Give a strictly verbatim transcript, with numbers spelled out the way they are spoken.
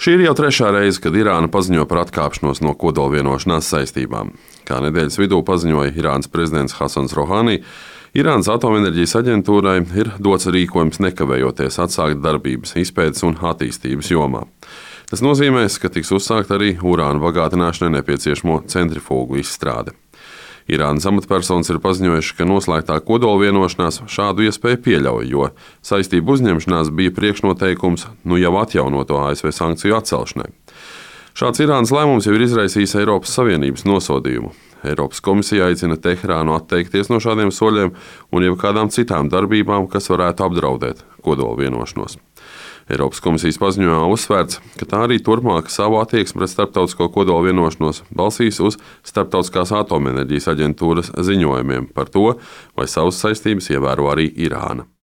Šī ir jau trešā reize, kad Irāna paziņo par atkāpšanos no kodolvienošanās saistībām. Kā nedēļas vidū paziņoja Irānas prezidents Hasans Rohani, Irānas atomenerģijas aģentūrai ir dots rīkojums nekavējoties atsākt darbības izpētes un attīstības jomā. Tas nozīmēs, ka tiks uzsākt arī urāna bagātināšanai nepieciešamo centrifūgu izstrāde. Irānas amatpersonas ir paziņojuši, ka noslēgtā kodolvienošanās šādu iespēju pieļauj, jo saistību uzņemšanās bija priekšnoteikums nu jau atjaunoto A S V sankciju atcelšanai. Šāds Irānas lēmums jau ir izraisījis Eiropas Savienības nosodījumu. Eiropas komisija aicina Teherānu atteikties no šādiem soļiem un jebkādām citām darbībām, kas varētu apdraudēt kodolvienošanos. Eiropas komisijas paziņojumā uzsvērts, ka tā arī turpmāk savu attieksmi pret starptautisko kodolvienošanos balstīs uz Starptautiskās atomenerģijas aģentūras ziņojumiem par to, vai savas saistības ievēro arī Irāna.